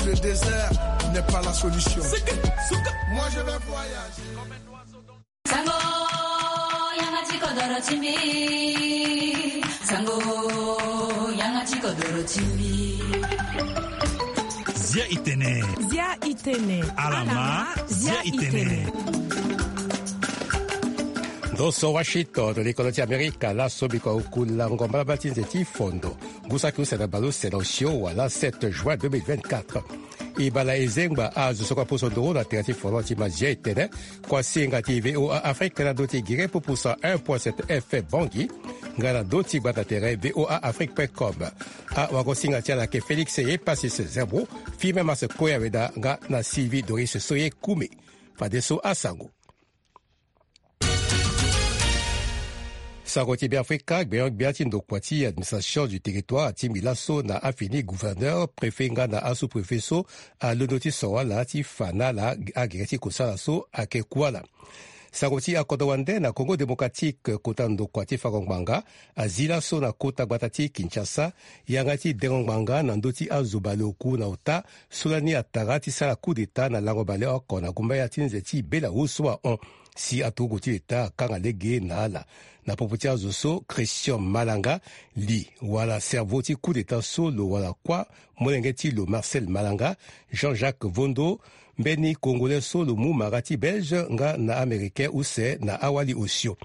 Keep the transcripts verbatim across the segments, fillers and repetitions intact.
Le désert n'est pas la solution. Moi, je vais voyager. Sango, yanga ti kodoro ti mbi. Sango, yanga ti kodoro ti mbi. Zia itene. Zia itene. Alama, zia itene. Ndo so Washington, likolo ti Amerika, laso biko akula ngomba laba ti nze ti fondo. Ngu saki use na baleuse na osio wala sept juin deux mille vingt-quatre. E bala e zengba azo so kua poso nduru na tere ti folon ti mazia e tene kua singa ti VOA Afrique na ndö ti gere pupu cent un point sept F M Bangui, nga na ndö ti gbata tere VOA Afrique point com. Awagosinga ti ala ayeke Félix Epasis Zerbo, Firmin Mas Koya Weda nga na Sylvie Doris Soye Koumé. Fadeso asango. Sango ti Beafrika, gbenyo-gbia ti ndokua ti administration du territoire atingbi laso na afini gouverneur, préfet nga na asous-préfet so alondo ti soro ala ti fa na ala agere ti kosala so ayeke ku ala. Sango ti akodro wande na Congo démocratique, kota ndokua ti fango ngbanga azi laso na kota gbata ti Kinshasa yanga ti dengo ngbanga na ndö ti azo baleoku na ota so lani atara ti sara coup d'État na lango baleoko na gumbaya ti nze ti Belarus so ahon. Si aturugu ti leta akanga lege na ala. Na popo ti azo so, Christian Malanga, li wala cerveau ti coup d'État so lo wara kuâ molenge ti lo Marcel Malanga, Jean-Jacques Vondo, mbeni Congolais so lo mu mara ti Belge nga na Américain use na awali osio.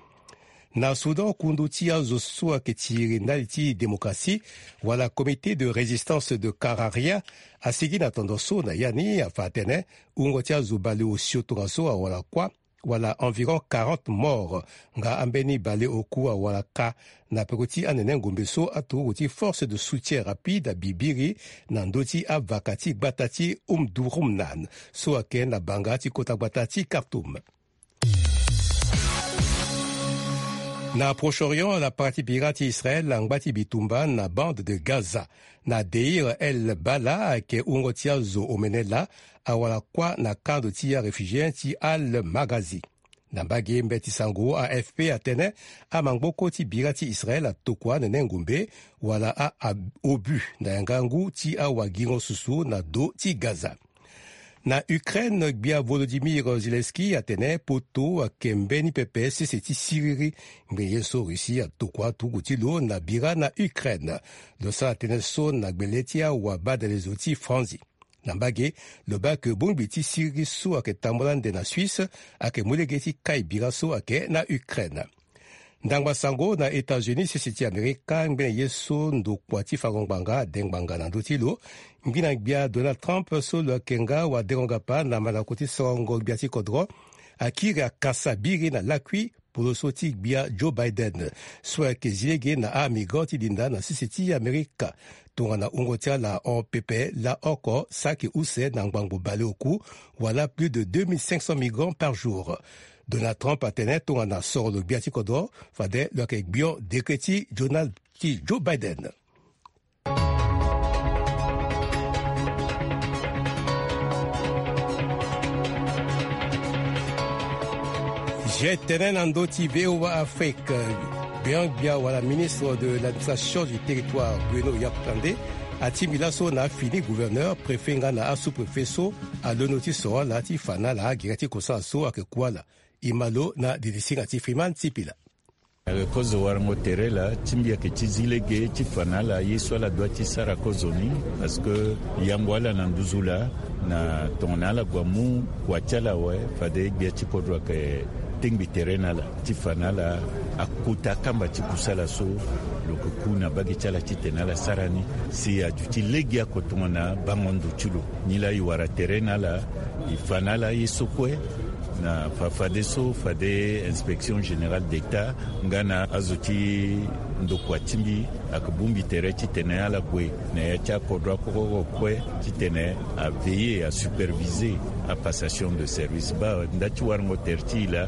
Na Soudan, kundu ti azo so ayeke tiri ndali ti démocratie wala Comité de résistance de Kararia asigi na tondo so na ya ni afa atene wungo ti azo baleosio tongaso awara kuâ wala environ quarante morts, nga ambeni baleoku awara kâ na peko ti anene ngombe so aturugu ti force de soutien rapide abibiri na ndö ti avaka ti gbata ti Omdurman so ayeke na banga ti kota gbata ti Khartoum. Na Proche-Orient, lapara ti bira ti Israël angba ti bitumba na bande de Gaza. Na Deir el Balah ayeke wungo ti azo omene laa awara kuâ na kando ti aréfugié ti Al Maghazi. Na mbage mbeti sango A F P atene amangboko ti bira ti Israël atokua anene ngombe wala a, a obus na yanga ngu ti awagingo susu na do ti Gaza. Na Ukraine, gbia Volodymyr Zelensky atene poto ayeke mbeni pepe sese ti siriri ngbene ye so Russie atokua turugu ti lo na bira na Ukraine. Lo sara tënë so na gbele ti awabadalezo ti Franzi. Na mbage, lo baa ke bongbi ti siriri so ayeke tambula ande na Suisse ayeke mu lege ti kai bira so ayeke na Ukraine. Ndangba sango na États-Unis, sese ti Amerika, ngbene ye so ndokua ti fango ngbanga ade ngbanga na ndö ti lo. Ngbina gbia Donald Trump so lo yeke nga wadengo-gapa na mandako ti sorongo gbia ti kodro akiri akasa biri na lakui poloso ti gbia Joe Biden so ayeke zi lege na amigrant ti linda na sese ti Amerika. Tongana wungo ti ala ahon pepe laa oko saki use na ngbangbo baleoku wala plus de deux mille cinq cents migrants par jour. Donald Trump atene tongana soro lo gbia ti kodro fade lo yeke gbion dekre ti Donald ti Joe Biden. Zia tënë na ndö ti VOA Afrique. Gbenyo-gbia wala ministre de l'administration du territoire, Bruno Yakutande, atingbi laso na afini gouverneur, préfet nga na asous-préfet so alondo ti soro ala ti fa na ala agere ti kosala so ayeke ku ala. E ma lo na didi singa ti Freeman Sipila. Ayeke kozo warango tere laa ti mbi ayeke ti zi lege ti fa na ala ye so ala dua ti sara kozo ni, parce que yango ala na nduzu laa na tongana ala gue amu kua ti ala awe, fade gbia ti kodro ayeke tengbi tere na ala ti fa na ala akota akamba ti kusala so lo yeke ku na mbage ti ala titene ala sara ni. Si aduti legeoko tongana bango ndo ti lo. Nilaa e wara tere na ala, e fa na ala ye so kue na fa fadeso fade inspection générale d'État nga na azo ti ndokua ti mbi ayeke bongbi tere titene ala gue na ya ti akodro akokoko kue titene a veiller, a superviser a passation de service. Baa nda ti warango tere ti e laa,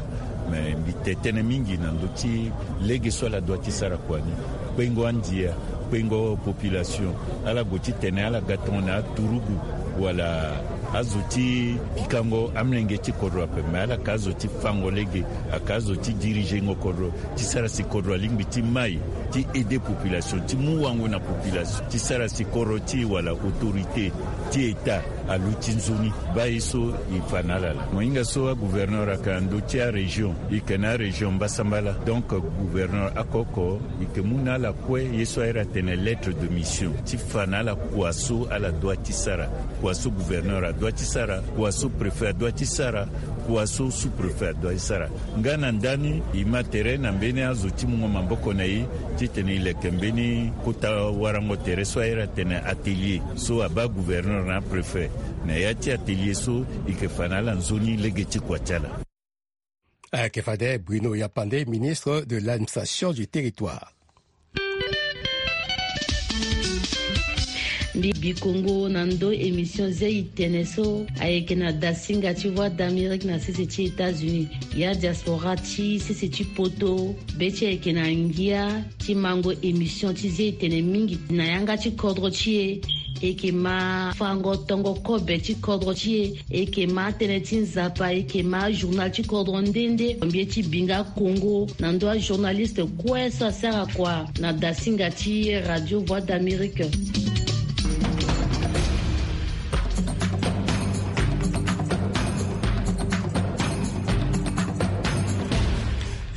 me mbi te tënë mingi na ndö ti lege so ala dua ti sara kua ni. Kpengo andia, kpengo population, ala gue titene ala ga tongana aturugu wala azo ti pikango amolenge ti kodro ape, me ala yeke azo ti fango lege, ayeke azo ti dirigengo kodro, ti sara si kodro alingbi ti mai, ti aider population, ti mu wango na population, ti sara si kodro ti e wala autorité ti État Aluti nzoni baa ye so e fa na ala laa. Mo hinga so agouverneur ayeke na ndö ti arégion, e yeke na arégion mbasambala. Donc gouverneur oko oko e yeke mu na ala kue ye so a iri atene lettre de mission ti fa na ala kua so ala dua ti sara, kua so gouverneur adua ti sara, kua so préfet adua ti sara, kua so sous-préfet adua ti sara. Nga na ndani e ma tere na mbeni azo ti mungo maboko na e titene e leke mbeni kota warango tere so a iri atene atelier so abaa gouverneur na apréfet. Na ya ti atelier so e yeke fa na ala nzoni lege ti kua ti ala. Ayeke fade Bruno Yapande, ministre de l'administration du territoire. Mbi bi kongo na ndö émission zei tene so ayeke na dasinga ti Voix d'Amérique na sese ti États-Unis. Ya diaspora ti sese ti poto, be ti ayeke na ngia ti mango émission ti zei tene mingi na yanga ti kodro ti e. E yeke ma fango tongo kobe ti kodro ti e. E yeke ma tënë ti nzapa, e yeke ma journal ti kodro nde nde. Mbi ye ti bi nga kongo na ndö ajournaliste kue so asara kua na dasinga ti Radio Voix d'Amérique.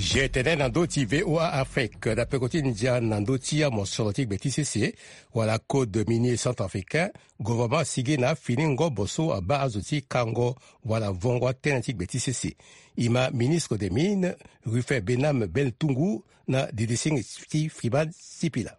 Je tene na ndö ti V O A Afrique na peko ti ndia na ndö ti amosoro ti gbe ti sese wala code minier centrafricain. Gouvernement asigi na afini ngobo so abaa azo ti kango wala vongo atënë ti gbe ti sese. E ma ministre des mines, Rufin Benam Beltungu, na didising ti Friman Sipila.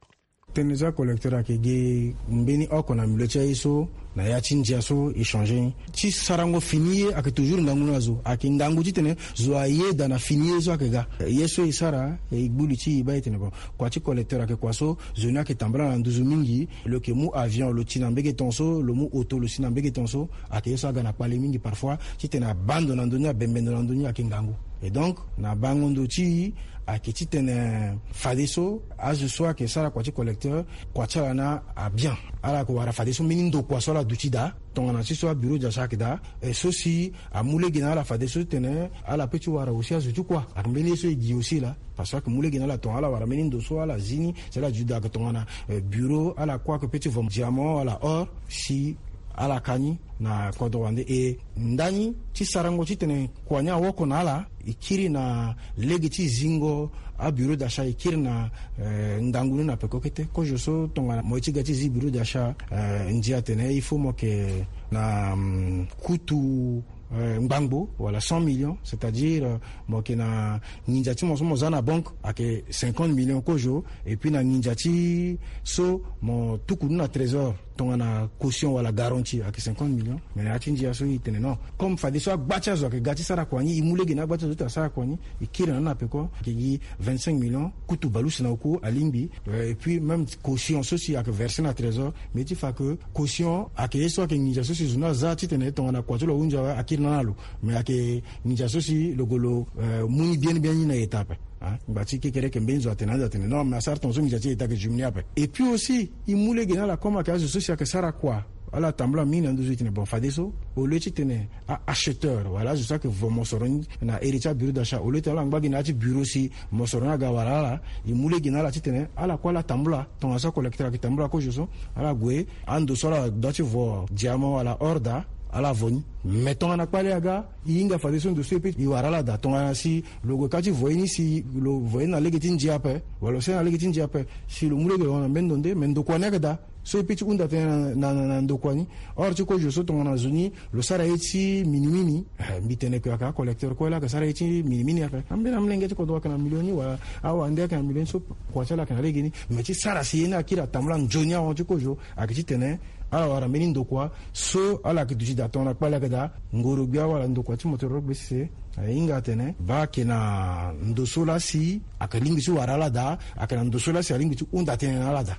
Tënë so acollecteur ayeke gi mbeni oko na milieu ti aye so na ya ti ndia so e changer ni. Ti sarango fini ye ayeke toujours ngangu na zo, ayeke ngangu titene zo ayeda na fini ye so ayeke ga. Ye so e sara, e gbu li ti e baa e tene bon, kua ti collecteur ayeke kua so zo ni ayeke tambula na nduzu mingi. Lo yeke mu avion lo ti na mbege ton so, lo mu auto lo si na mbege ton so. Ayeke ye so aga na kpale mingi parfois titene abaa ndo na ndö ni, abembe ndo na ndö ni ayeke ngangu. Et donc na bango ndo ti e ayeke titene fadeso azo so ayeke sara kua ti collecteur, kua ti ala ni abien. Ala yeke wara fadeso mbeni ndokua so ala duti daa tongana ti so abureau d'achat ayeke daa. E so si amu lege na ala fadeso titene ala peut ti wara aussi azo ti kua. Ayeke mbeni ye so e gi aussi laa. Parce que ayeke mu lege na ala tongana ala wara mbeni ndo so ala zi ni si ala duti daa ayeke tongana, eh, bureau, ala kue ayeke peut ti vo diamant wala or si ala ka ni na kodro wande. E ndani ti sarango titene kua ni awoko na ala, e kiri na lege ti zingo abureau d'achat, e kiri na, eh, ngangu ni na peko kete. Kozo so tongana mo ye ti ga ti zi bureau d'achat, eh, ndia atene il faut mo yeke na, mm, kutu, eh, ngbangbo wala cent millions, c'est-à-dire, euh, mo yeke na nginza ti mo so mo za na banque ayeke cinquante millions kozo. Et puis na nginza ti so mo tuku ni na trésor tongana caution wala garantie ayeke cinquante millions. Mais na ya ti ndia so e tene non, comme fadeso agba ti azo ayeke ga ti sara kua ni, e mu lege na agba ti azo ti asara kua ni, e kiri na ni na peko, ayeke gi vingt-cinq millions, kutu bale use na oku alingbi. Euh, et puis même caution so si ayeke verser na trésor, mais ti fa que caution ayeke ye so ayeke nginza so si zo ni aza titene tongana kua ti lo ahunzi awe akiri na ni na lo. Mais ayeke nginza so si lo gue lo, euh, mu ni bien bien ni na eta ape. Hein? Ngba ti kekereke mbeni zo atene ande atene non, mais asara tongaso nginza ti eta ayeke diminuer ape. Et puis aussi e mu lege na ala comme ayeke azo so si ayeke sara kua, ala tambula mingi na nduzu, e tene bon, fadeso au lieu titene a-acheteur wala azo so ayeke vo mosoro ni na ere ti abureau d'achat, au lieu titene ala ngba gi na ya ti bureau si mosoro ni aga wara ala, e mu lege na ala titene ala kue ala tambula tongana so acollecteur ayeke tambula kozo so. Ala gue ando so ala dua ti vo diamant wala or daa, ala vo ni. Mais tongana kpale aga, e hinga fadeso ndo so e peut e wara ala daa. Tongana si lo gue ka ti vo ye ni, si lo vo ye ni na lege ti ndia ape wala lo sara na lege ti ndia ape, si lo mu lege lo hon na mbeni ndo nde, mais ndokua ni ayeke daa. So e peut ti hunda tënë na, na, na, na ndokua ni. Or ti kozo so tongana zo ni lo sara ye ti minimini, eh, mbi tene que ayeke acollecteur kue laa ayeke sara ye ti minimini ape. Ambeni amolenge ti kodro ayeke na million ni wala awande ayeke na million ni so kua ti ala ayeke na legeni. Mais ti sara si ye ni akiri atambula nzoni ahon ti kozo, ayeke titene ala wara mbeni ndokua so ala yeke duti daa tongana kpale ayeke daa. Ngoro-gbia wala ndokua ti motoro gbe sese, eh, e hinga atene baa ayeke na ndo so laa si ayeke lingbi ti wara ala daa, ayeke na ndo so laa si alingbi ti hunda tënë na ala daa.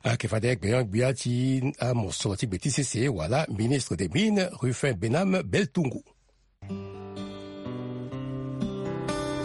Ayeke fade gbenyo-gbia ti amosoro ti gbe ti sese wala ministre des mines, Rufin Benam Beltungu.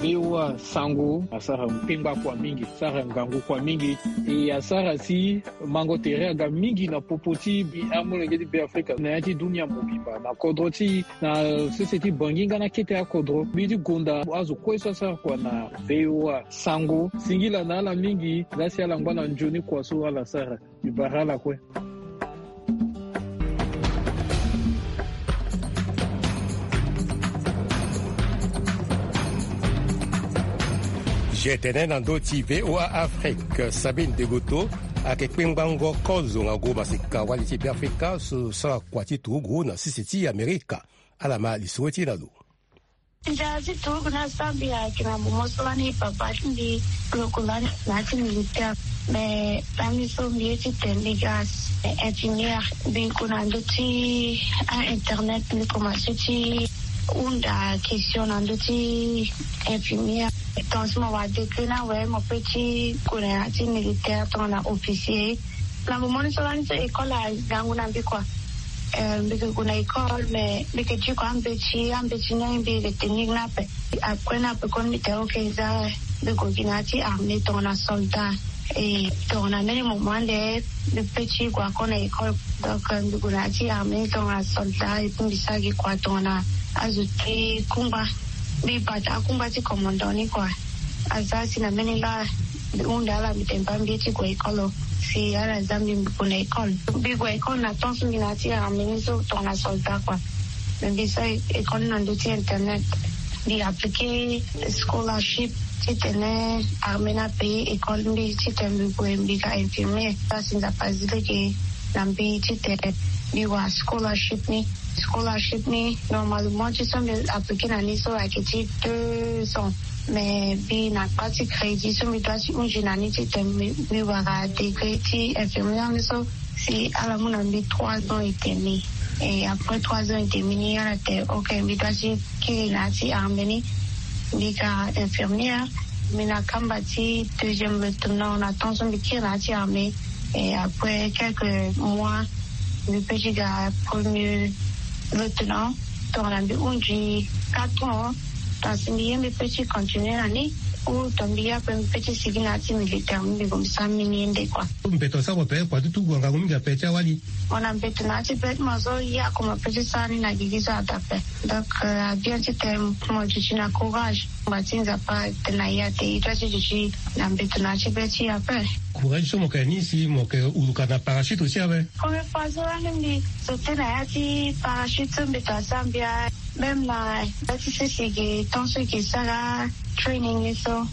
V O A Sango asara kpengba kua mingi, asara ngangu kua mingi. E asara si mango tere aga mingi na popo ti amolenge ti Beafrika na ya ti dunia mobimba, na kodro ti, na sese ti Bangui nga na kete akodro. Mbi ti gonda azo kue so asara kua na V O A Sango, singila na ala mingi laa si ala ngba na nzoni kua so ala sara. Mbi bara ala kue. Ye tene na ndö ti VOA Afrique, Sabine Degoto ayeke kpengbango kozo ngangu maseka wali ti Beafrika so sara kua ti turugu na sese ti Amerika. Ala ma lisoro ti e na lo. Nzara ti turugu ni asara mbi ayeke na momo so lani papa ti mbi lo ko lani na ya ti militaire. Me lani so mbi ye titene mbi ga infirmière, mbi gue na ndö ti a-internet, mbi komanse ti hunda question na ndö ti infirmière. Tant so mo wara degré ni awe, mo peut ti gue na ya ti militaire tongana officier. Na momo ni so lani so école agangu na mbi kua. Eh, mbi ke gue na école, mais mbi ke ti gue ambeti, ambeti ni mbi ke tenir ni ape. Après ni ape kue mbi tene ok, za mbi gue gi na ya ti armée tongana soldat. E tongana mbeni moment ande mbi peut ti gue encore na école. Donc, eh, mbi gue na ya ti armée tongana soldat, et puis mbi sara gi kua tongana azo ti kungba. Mbi bata akungba ti commandant ni kua. Aza si na mbeni laa mbi hunda ala, mbi tene baa mbi ye ti gue école o. Si ala za mbi, mbi gue na école. Mbi gue école na temps so mbi na ya ti armée ni so tongana soldat kua. Me mbi sara école ni na ndö ti internet. Mbi appliquer scholarship titene armée ni apayer école mbi titene mbi gue mbi ga infirmière. Aza si Nzapa zi lege na mbi titene mbi wara scholarship ni. Scholarship ni, normalement, ti so mbi appliquer na ni so ayeke ti deux ans. Mais mbi na kpa ti crédit so mbi doit ti hunzi na ni titene mbi, mbi wara degré ti infirmière ni so, si ala mu na mbi trois ans et demi. Et après trois ans et demi ni, ala tene ok, mbi doit ti kiri na ya ti armée ni, mbi ga infirmière. Mbi na kamba ti deuxième lieutenant na temps so mbi kiri na ya ti armée. Et après quelques mois, mbi peut ti ga premier lieutenant. Tongana mbi hunzi quatre ans, donc si mbi ye mbi peut ti continuer na ni, ou tongana mbi ye ape mbi peut ti sigi na ya ti militaire, mbi gue mbi sara mbeni ye nde kua. Mbeto asara mo ape kua ti turugu angangu mingi ape ti awali. Mo na mbeto na ya ti be ti mo so, ye oko mo peut ti sara ni na gigi so ata ape. Donc, euh, abien titene mo duti na courage. Ngba ti Nzapa atene na e ate, e doit ti duti na mbeto na ya ti be ti e ape. Courage so mo yeke na ni si mo yeke huruka na parachute aussi awe. Première fois so lani mbi sauter na ya ti parachute so mbeto asara mbi awe. Même na ya ti sese ge, temps so e ke sara training ni so,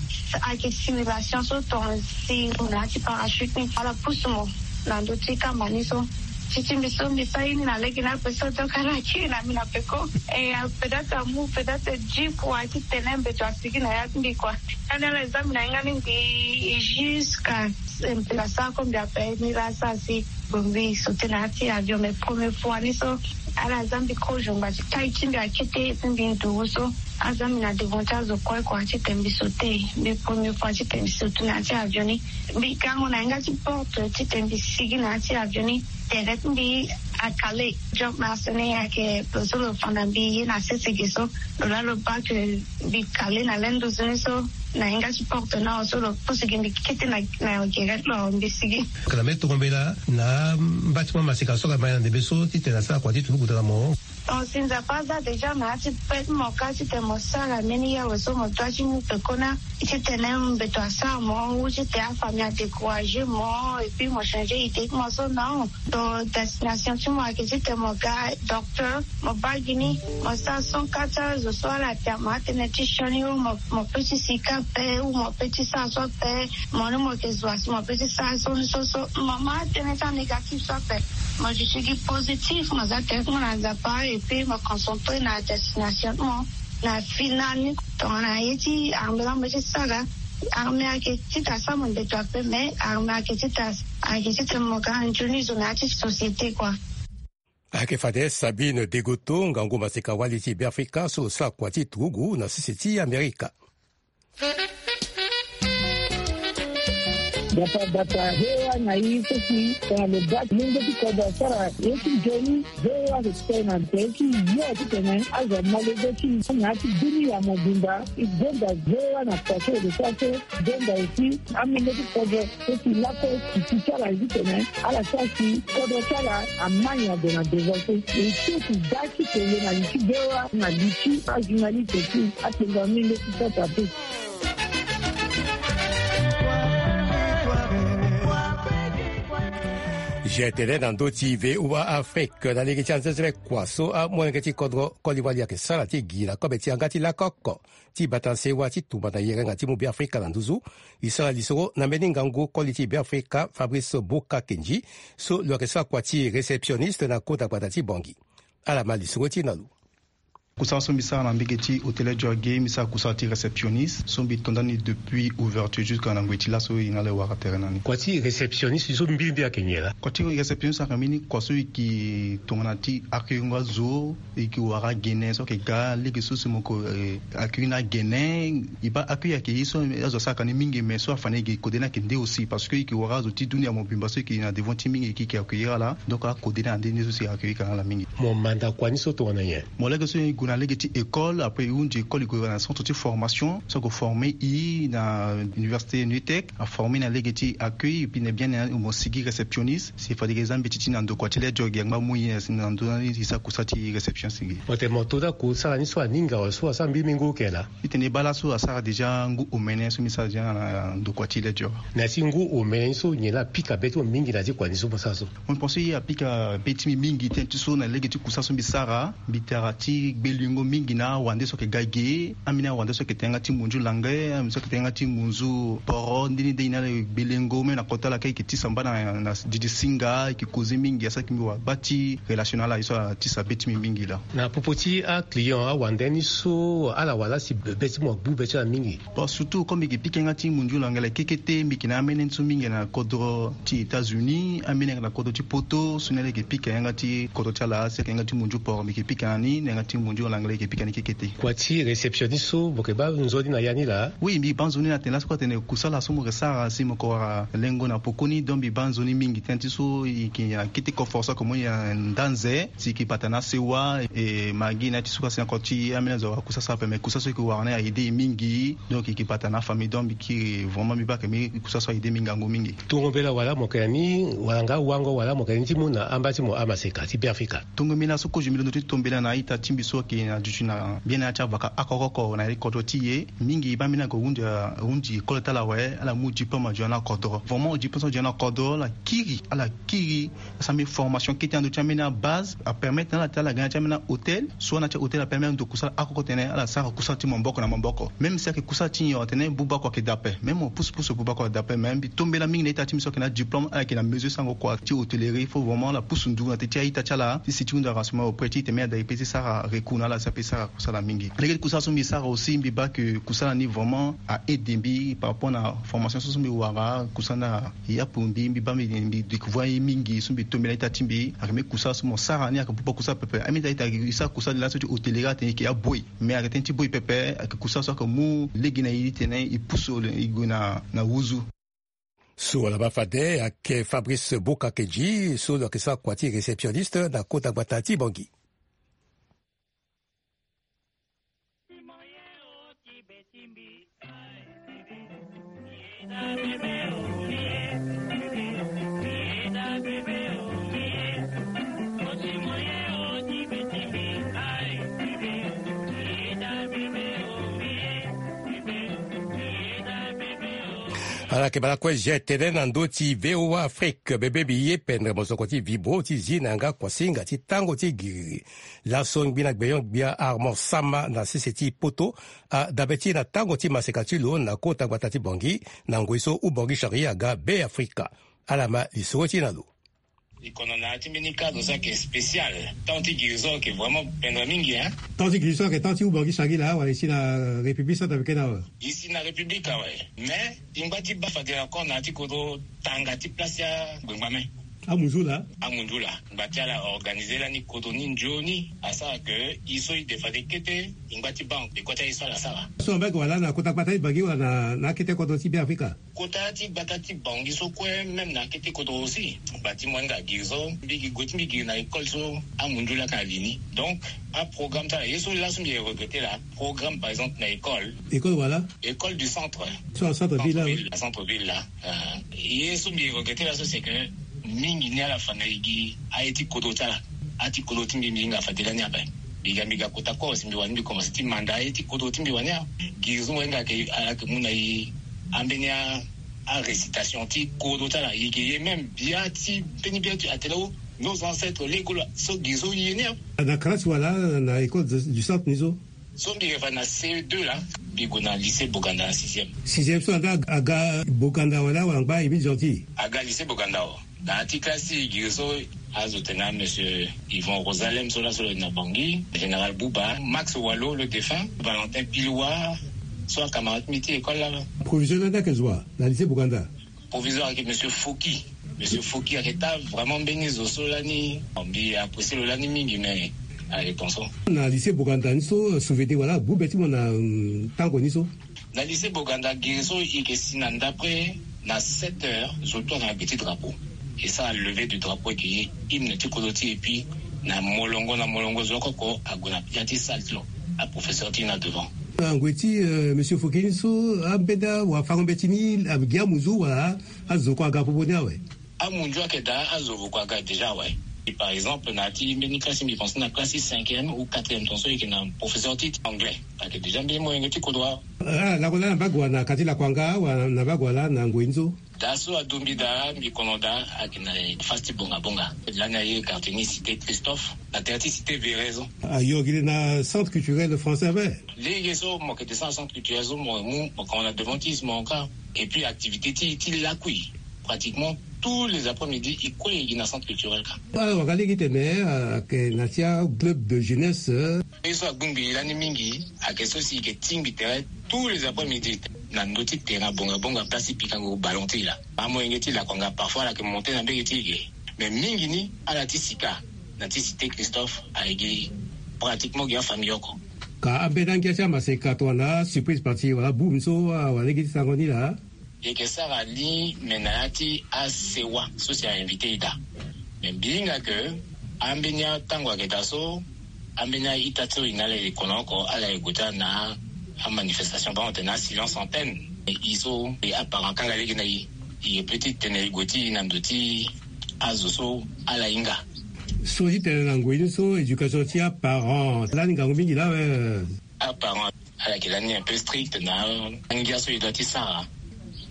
ayeke simulation so, tongana si mo na ya ti parachute ni, ala pusu mo na ndö ti kamba ni so. Ti ti mbi so mbi sara ye ni na lege ni ape so, donc ala kiri na mbi na peko. E, peut-être amu peut-être dix fois titene mbeto asigi na ya ti mbi kua. Lani ala za mbi na hinga ni mbi jusqu'à, eh, mbeto asara kue mbi ape ni laa asara si. Bon, mbi sauter na ya ti avion, mais première fois ni so, ala za mbi kozo ngba ti taille ti mbi akete, et puis mbi nduru so. Aza mbi na devant ti azo kue kua titene mbi sauter. Mbi première fois titene mbi sauter na ya ti avion ni. Mbi gango na yanga ti porte titene mbi sigi na ya ti avion ni. Tere ti mbi acalé. Jump master ni ayeke lo so lo fa na mbi ye na sese ge so. Lo laa lo baa ke mbi calé na lenduzu ni so. Na yanga ti porte ni awe so lo pusu gi mbi kete na, na gere ti lo awe mbi sigi. Ka na mbi tongo mbela na mba ti mo amaseka so ka ma na ndembe so titene asara kua ti turugu daa na mo. Donc si Nzapa aza déjà na ya ti be ti mo ka titene mo sara mbeni ye awe so, mo doit ti mu pekoni titene mbeto asara mo ou titene afamille adécouragé mo et puis mo changer idée ti mo so, non. Donc destination ti mo ayeke titene mo ga docteur, mo baa gi ni, mo sara son ka ti azo so ala tene mo atene ti sioni ou mo, mo peut ti sika ape ou mo peut ti sara so ape. Mo ni mo yeke zo asi mo peut ti sara so ni so so. Mo ma atene ti anégatif so ape. Mo duti gi positif, mo za tere ti mo na Nzapa et puis mo concentré na destination ti mo na final ni. Tongana ye ti armée laa mo ti sara. Armée ayeke ti ta sara mo ndeto ape, mais armée ayeke ti ta, ayeke ti tene mo ga nzoni zo na ya ti société kua. Ayeke fade Sabine Degoto, ngangu maseka wali ti Beafrika so lo sara kua ti turugu na sese ti Amerika. Bata bata, VOA na i so si tongana lo baa ti mungo ti kodro asara ye ti nzoni, VOA ayeke kpe na tere ti yo titene azo amolenge ti i na ya ti dunia mobimba. I gonda VOA na kua so e lo sara so. Gonda aussi amolenge ti kodro so si lakue titi ti ala ye titene ala sara si kodro ti ala ama nyen ade na devant so. E so si da ti tene na li ti VOA na li ti ajournaliste ti atengo amolenge ti sasa te. Jetene na ndö ti V O A Afrique na lege ti anzenzele kua so amolenge ti kodro Côte d'Ivoire ayeke sara ti gi na kobe ti yanga ti lako oko ti bata sewa ti tumba na yerenga ti mu Beafrika na nduzu. E sara lisoro na mbeni ngangu koli ti Beafrika Fabrice Boka Kendji so lo yeke sara kua ti réceptionniste na kota gbata ti Bangui. Ala ma lisoro ti na lo. Kusala so mbi sara na mbege ti hôtel Dior ge, mbi sara kusala ti réceptionniste so mbi to ndani depuis ouverture jusqu'à na ngoi ti laso e na ala e wara tere na ni. Kua ti réceptionniste so mbi mbi ayeke nyen laa? Kua ti réceptionniste ayeke mbeni kua so e yeke tongana ti accueillir ngo azo, e yeke wara agene so ayeke ga lege so si mo yeke, eh, accueillir na agene. E baa accueillir ayeke ye so azo asara ka ni mingi, mais so afa na e ge kode ni ayeke nde aussi, parce que e yeke wara azo ti dunia mobimba so e yeke na devant ti mingi e yeke accueillir ala. Donc akode ni ande nde so si e accueillir ka na ala mingi. Mo manda kua ni so tongana nyen? Mo lege so e gue na lege ti école, après e hunzi école e gue na centre ti formation so ako former e na université Nutec, aformer na lege ti accueil, et puis na bien na mo sigi réceptionniste. Si fade e za mbeti ti na ndo kua ti le Dior ge angba mu e na ndo ni e sara kusala ti réception sigi. Mo tene mo to daa kusala ni so aninga wala so asara mbi mingi oke laa? Mbi tene e baa laso asara déjà ngu omene so mbi sara déjà na ndo kua ti le Dior. Na ya ti ngu omene ni so nyen laa apika be ti mo mingi na ya ti kua ni so mo sara so? Mo pense e apika be ti mbi mingi tënë ti so na lege ti kusala so mbi sara, mbi tara ti gbelengo mingi na awande so ayeke ga ge, ambeni awande so ayeke tene yanga ti munzu langue, ambeni so ayeke tene yanga ti munzu poro, nde ni nde e na ala e gbelengo même na kota ala kâ e yeke tisa mba na, na didi singa, e yeke causer mingi, asara yeke mbi wara gba ti relation na ala, ye so atisa be ti mbi mingi laa. Na popo ti aclient awande ni so ala wara laa si be ti mo agbu be ti ala mingi? Bon, surtout comme mbi yeke pika yanga ti munzu langue kekete, mbi yeke na amene ni so mingi na kodro ti États-Unis, amene yanga na kodro ti Poto, so ni ala yeke pika yanga ti kodro ti ala, si ayeke yanga ti munzu poro mbi yeke pika na ni, na yanga ti munzu langue yeke pika ni kekete. Kua ti réceptionniste so mo yeke baa nzoni na ya ni laa? Oui, mbi baa nzoni na tene laso kue atene kusala so mo yeke sara si mo yeke wara lengo na pokoni, donc mbi baa nzoni mingi tënë ti so e yeke na kete coffre so ayeke mo ni na ndanze, si e yeke bata na asewa, e ma gi na ya ti so kue asi na kua ti ambeni azo awara kusala so ape, mais kusala so e yeke wara ni a aider e mingi. Donc e yeke bata na afamille, donc mbi kiri vraiment mbi baa ke mbi kusala so a aider mbi ngangu mingi. Tongo mbela wala mo yeke na ni wala nga wango wala mo yeke na ni ti mu na amba ti mo amaseka ti Beafrika? Tongo mbela so kozo mbi londo ti to mbela na a-ita ti mbi so ayeke na duti na mbeni ya ti avaka oko oko na ya ti kodro ti e. Mingi baa mbeni ako hunzi, hunzi école ti ala awe, ala mu diplôme adio na kodro. Vraiment diplôme so adio na kodro ala kiri, ala kiri. Asara mbeni formation kete na ndö ti ambeni abase, apermettre na ala ti ala ga na ya ti ambeni ahôtel, soit na ya ti ahôtel apermettre ando kusala oko oko tene ala sara kusala ti maboko na maboko. Même si ayeke kusala ti nyon atene buba kua ayeke daa ape, même mo pusu pusu buba kua daa ape, mais mbi to mbela mingi na a-ita ti mbi so ayeke na adiplôme, ala yeke na mesure sarango kua ti hôtellerie. Il faut vraiment ala pusu ndu na teti a-ita ti ala ti si ti hunda renseignement auprès ti e tene mbi ada e pe ti sara recours na ala si ape ti sara kusala mingi. Lege ti kusala so mbi sara aussi mbi baa ke kusala ni vraiment a aider mbi par rapport na formation so so mbi wara, kusala ni a yapu mbi, mbi baa mbi, mbi découvrir ye mingi so mbi to mbela a-ita ti mbi. Ayeke mbeni kusala so mo sara ni ayeke buba kusala pepe. Ambeni a-ita e sara kusala ni laso ti hôtellerie atene e yeke aboy, mais ayeke tënë ti boy pepe, ayeke kusala so ayeke mu lege na e ti tene e pusu e gue na, na wuzu. So ala baa fade ayeke Fabrice Boka Kendji so lo yeke sara kua ti réceptionniste na kota gbata ti Bangui. Ala yeke bala kue zia tene na ndö ti V O A Afrique, bebe mbi ye pendre mosoko ti vibro ti zi na yanga kuasinga ti tango ti giriri. Laso ngbina gbenyo gbia Armand Sama na sese ti Poto adabe ti e na tango ti maseka ti lo na kota gbata ti Bangui na ngoi so Oubangui Chari aga Beafrika. Ala ma lisoro ti e na lo. E kono na ya ti mbeni cadre so ayeke spécial. Temps ti guérison ayeke vraiment pendre mingi, hein. Temps ti guérison ayeke temps ti Oubangui Chari laa wala e si na République centrafricaine awe? E si na République awe. Mais e ngba ti baa fade encore na ya ti kodro tanga ti place ti angbengba me. Amunzu laa? Amunzu laa. Ngba ti ala organiser lani kodro ni nzoni asara ke e so e de fade kete e ngba ti baa nde kua ti aye so ala sara. So ambe ayeke wala na kota gbata ti Bangui wala na, na akete kodro ti Beafrika? Kota ti gbata ti Bangui so kue, même na akete kodro aussi. Ngba ti mo hinga giri so, mbi gi gue ti mbi giri na école so amunzu laa ka na li ni. Donc aprogramme ti ala ye so laso mbi regretter laa, programme par exemple na école. École wala? École du centre. So na centre ville laa? Centre ville, centre ville laa. Ah, ye so mbi regretter laso c'est que mingi ni ala fa na e gi aye ti kodro ti ala. Aye ti kodro ti mbi mbi hinga fade lani ape. Mbi ga mbi ga kota kue si mbi wani mbi commencer ti manda aye ti kodro ti mbi wani a. Giri so mo hinga ayeke, ayeke mu na e ambeni a Arécitation ti kodro ti ala, e yeke ye même bia ti mbeni bia ti atene o, nos ancêtres lege kue laa. So gi so ye ni. Na classe wala na école du centre ni so? So mbi yeke fa na C E deux laa, mbi gue na lycée Boganda na sixième. Sixième so anda aga Boganda wala wala ngba Émile Gentil? Aga lycée Boganda o. Na ya ti classe ti e gi so azo tene na monsieur Yvon Rosalem so laso lo na Bangui, général Bouba, Max Walo le défunt, Valentin Piloua, so acamarade ti mbi ti école laa. Proviseur lani ayeke zo wa na lycée Boganda? Proviseur ayeke monsieur Foki. Monsieur Foki ayeke taa vraiment mbeni zo so lani. Mbi apprécie lo lani mingi, mais ayeke ton so. Na lycée Boganda ni so, souvenir wala abu be ti mo na, hum, tango ni so? Na lycée Boganda gi so e yeke si na ndapre na sept heures zo tout ayeke na gbe ti drapeau. E sara levée du drapeau, e yeke ye hymne ti kodro ti e, et puis na molongo na molongo zo oko oko ague na ya ti salle ti lo, aprofesseur ti e na devant. Na ngoi ti, euh, monsieur Foki ni so, ambeni awafango mbeti ni agi amunzu wala azo kue aga popo ni awe? Amunzu ayeke daa, azo kue aga déjà awe. Et par exemple na ya ti mbeni classe mbi pense na classe ti cinquième ou quatrième ton so e yeke na professeur ti anglais. Ayeke déjà mbeni molenge ti kodro. Ah, lakue laa na mbage wa na quartier Lakuanga wala na mbage wa laa na ngoi ni so? Daa so adombi daa mbi kono daa ayeke na face ti Bonga Bonga. Lani aye quartier ni cité Christophe, na tere ti cité Véret so. Ayo gi le na centre culturel français ape. Lege so mo yeke descendre na centre culturel so, mo mu mo kono na devant ti e so mo ka. Et puis activité ti, ti lakui, pratiquement tous les après-midi e kue e gi na centre culturel ka. Ah, wanga lege tene, euh, ayeke na ti aclub de jeunesse, euh. Ye so agbongbi lani mingi ayeke so si e yeke tingbi tere tous les après-midi na ndö ti terrain Bonga Bonga, place ti pikango ballon ti e laa. Amolenge ti Lakuanga parfois ala yeke monte na mbege ti e ge. Mais mingi ni ala ti sika na ti cité Christophe, aye gi pratiquement gi afamille oko. Ka ambeni angia ti amaseka tongana surprise party wala boum so, ah, wala lege ti sango ni laa? E yeke sara ni, me na ya ti asewa so si a invité e daa. Me mbi hinga ke ambeni atango ayeke daa so, ambeni a-ita ti so e na ala e kono oko, ala e gue ti ala na amanifestation, bango tene na silence antenne. E so e aparent akanga lege na e, e peut ti tene e gue ti e na ndo ti azo so ala hinga. So ti tene na ngoi ni so éducation ti aparent lani ngangu mingi laa awe. Aparent ala yeke lani un peu strict na angia so e doit ti sara.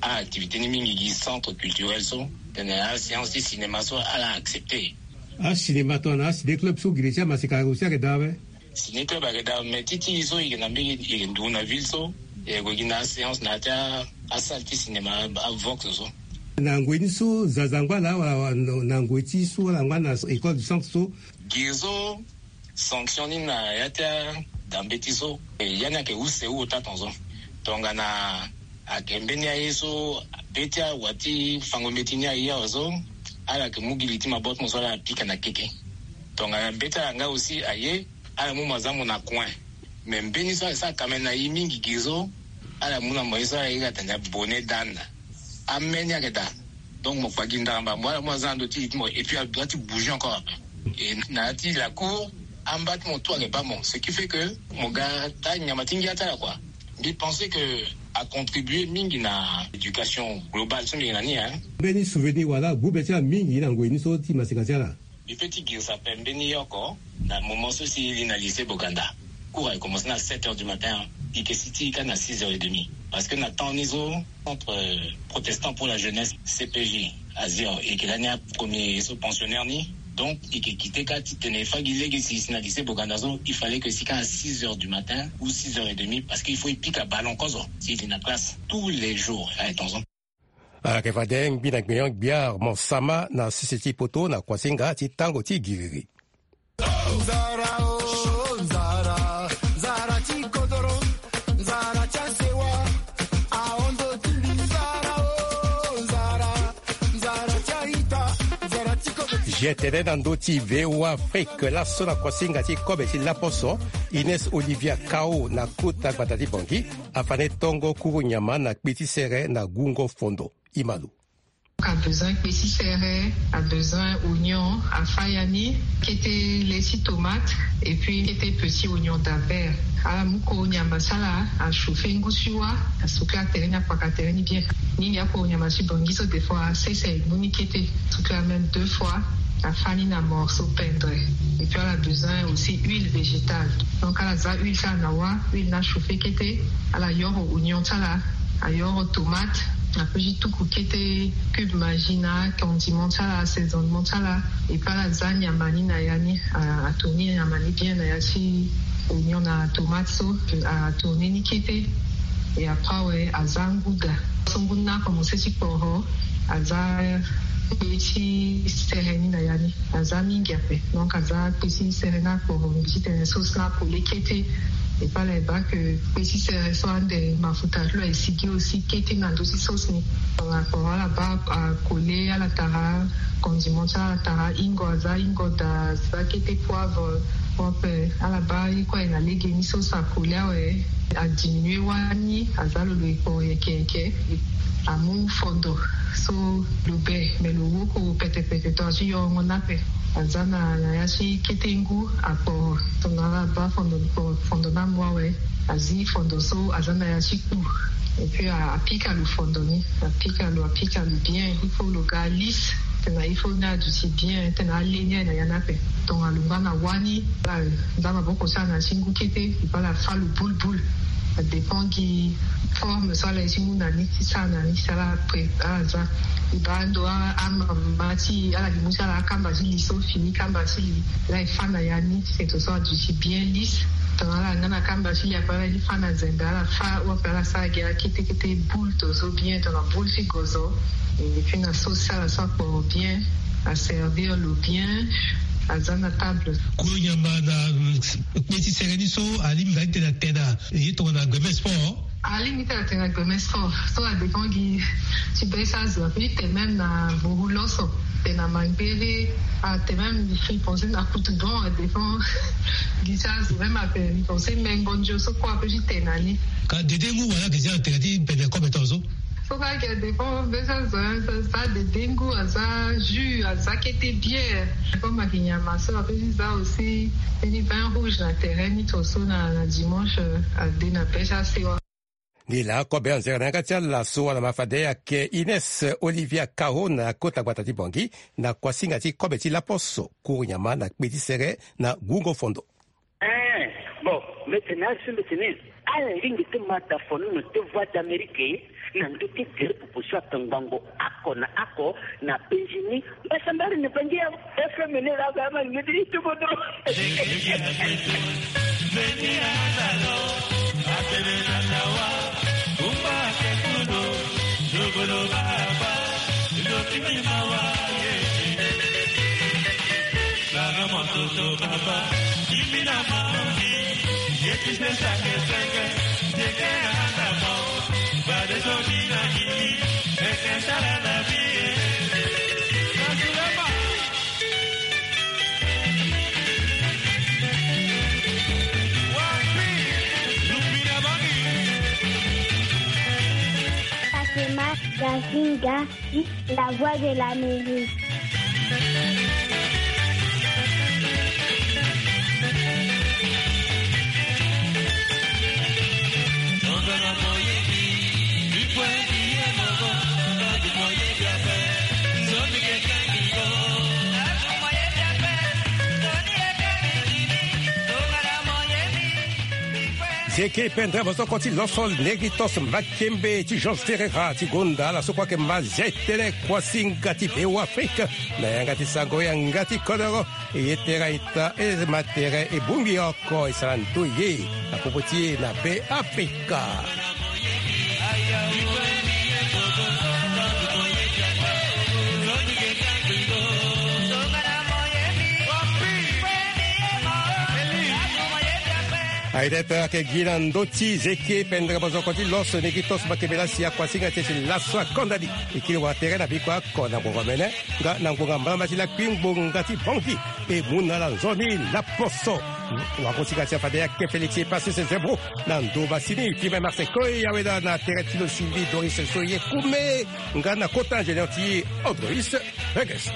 Aactivité ni mingi gi centre culturel so, tene aséance ti cinéma so ala accepté. Acinéma tongana aciné club so gi le ti amaseka aussi ayeke daa awe? Ciné club ayeke daa, mais ti ti e so e yeke na mbege, e yeke nduru na ville so, e yeke gue gi na aséance na ya ti asalle ti cinéma, avox so. Na ngoi ni so zaza angba laa wala na ngoi ti so wala angba na école du centre so? Gi so sanction ni na ya ti adambe ti so. E, ya ni ayeke use wu ota ton so. Tongana ayeke mbeni aye so be ti awa ti fango mbeti ni aye awe so, ala yeke mu gi li ti maboko ti mo so ala pika na keke. Tongana be ti ala nga aussi aye, ala mu mo aza mo na coin. Mais mbeni so ayeke sara kamene na e mingi gi so, ala mu na mo ye so ala iri atene bonnet d'âne. Ameni ayeke daa. Donc mo kpa gi ndaramba mo ala mu aza na ndo ti e ti mo, et puis a doit ti bouger encore après. Et na ya ti la cour amba ti mo tout ayeke baa mo, ce qui fait que mo ga taa nyama ti ngia ti ala kua. Mbi pense que a contribuer mingi na éducation globale so mbi yeke na ni, hein. Mbeni souvenir wala abu be ti ala mingi na ngoi ni so ti maseka ti ala? Mbi peut ti girisa ape mbeni oko na moment so si e li na lycée Boganda. Cours ayeke commencer na sept heures du matin, e yeke si ti e kâ na six heures et demie. Parce que na temps ni so, Centre, euh, Protestant pour la Jeunesse, C P J, azia, e yeke lani apremier ye so pensionnaire ni. Donc e yeke quitté kâ titene e fâ gi lege si e si na lycée Boganda so, il fallait que e si kâ à six heures du matin ou six heures et demie, parce que il faut e pika ballon kozo si e li na classe tous les jours. Aye ton so. Ala yeke fade ngbi na gbenyo-gbia Armand Sama na sese ti poto na kuasinga ti tango ti giriri. G T N na ndö ti V O A Afrique, laso na kuasinga ti kobe ti laposo, Ines Olivia Kao na kota gbata ti Bangui afa na e tongo kuru nyama na kpi ti sere na gungo fondo. Imalo. A besoin kpe ti sere, a besoin oignon, a fâ ya ni, kete le ti tomate, et puis kete petit oignon d'Albert. Ala mu koro nyama ti ala, a chauffer ngu ti wâ, a sukula tere ni, a kpaka tere ni bien. Ni ya koro nyama ti Bangui so des fois a sese, e mu ni kete, sukula même deux fois, a fâ ni na morceau pendre. Et puis ala besoin aussi huile végétale. Donc ala za huile ti ala na wâ, huile ni a chauffer kete, ala yoro oignon ti ala, a yoro tomate, Apeut ti tuku kete cube magi na condiment ti ala, assaisonnement ti ala. Epeut ala za nyama ni na ya ni, ato ni nyama ni bien na ya ti oignon na tomate so, atourne ni kete. E après awe aza ngu daa so ngu ni akomense ti kporo. Aza kpe ti sere ni na ya ni. Aza mingi ape. Donc aza kpe ti sere ni akporo, mbi ti tene sauce ni akole kete. Epeut ala e baa ke kpe ti sere so ande mafuta ti lo aye sigi aussi kete na ndö ti sauce ni. Donc akporo ala baa akole, ala tara condiment ti ala, tara ingo, aza ingo daa, aza kete poivre. Ape ala baa ye kue aye na lege ni sauce akole awe. Adiminuer wani, aza lo lo e kporo yeke yeke. Amu fondo so lo be, me lo woko petepete tongana ti yorongo ni ape. Aza na ya ti kete ngu akporo. Tongana ala baa fondo ni amu awe, azi fondo so aza na ya ti kpu. Epeut apika lo fondo ni, apika lo, apika lo bien. Il faut lo ga lisse. Tena il faut ni aduti bien, tena ale ni aye na ya ni ape. Tongana lo ngba na wani, ala za maboko ti ala na ya ti ngu kete, epeut ala fa lo boule boule. Adépend gi forme so ala ye ti mu na ni ti sara na ni, si ala pré ala za. E baa ando amama ti ala gi mu ti ala akamba ti li so fini kamba ti li. Ala e fa na ya ni seto so aduti bien lisse. Tongana ala nga na kamba ti li ape ala ye ti fa na zende, ala fa ou ape ala sara gi ala kete kete boule to so bien, tongana boule ti gozo. Epeut na sauce ti ala so akporo bien, aservir lo bien. Aza na table. Kue nyama na kpe ti sere ni so alingbi na ti tene atene na ye tongana gbemes fort. Alingbi ti tene atene na gbemes fort. So adépend gi ti be ti azo, apeut ti tene même na boru loso, tene na mangbere. Atene même, mbi pense na kutu bon, adépend gi ti azo. Même ape mbi pense mengo ndio so kue apeut ti tene na ni. Ka dede ngu wala ke ti atene ti pene kobe tongaso. So kue ayeke dépend be ti azo, hein. Aza dede ngu, aza jus, aza kete bière. Comme ayeke nyama so apeut ti za aussi mbeni vin rouge na tere ni to so na, na dimanche, euh, ade na be ti asewa. Ni laa kobe anzere na yanga ti ala so wala ma fade ayeke Ines Olivia Caro na kota gbata ti Bangui na kuasinga ti kobe ti laposo, kuru nyama na kpe ti sere na gungo fondo. Eh, bon, mbi tene azo so mbi tene ala lingbi ti ma da fonono ti Voix d'Amérique na ndö ti gere popo so atongbango oko na oko na penzi ni. Mbasambara ni Bangui ya F M ni laa ga ama ngeti ti tuku dro. Fatima Gazinga, la voix de l'Amérique. Zeke pendere bosoko ti loso Neritos Makembe ti Georges Ferreira ti gonda ala so kue ayeke ma zia tënë kuasinga ti Beoafrika na yanga ti sango yanga ti kodoro. E ye tere aita, e ma tere e bongbi oko e sara ndoye na popo ti e na Beafrika. Aye ti tara ayeke gi na ndö ti zeke pendere bosoko ti loso Neritos Makembe laa si akuasinga ti e si laso akonda ni. E kiri wara tere na biko oko na ngonga mene nga na ngonga mbalamba ti lakui ngbonga ti Bangui. E mu na ala nzoni laposo. Wakosinga ti afade ayeke Félix Epassus Zebro na ndo masini. Firmin Marseille Koy aweda na tere ti lo Sylvie Doris so ye kume nga na kota ingénieur ti Androis Regis.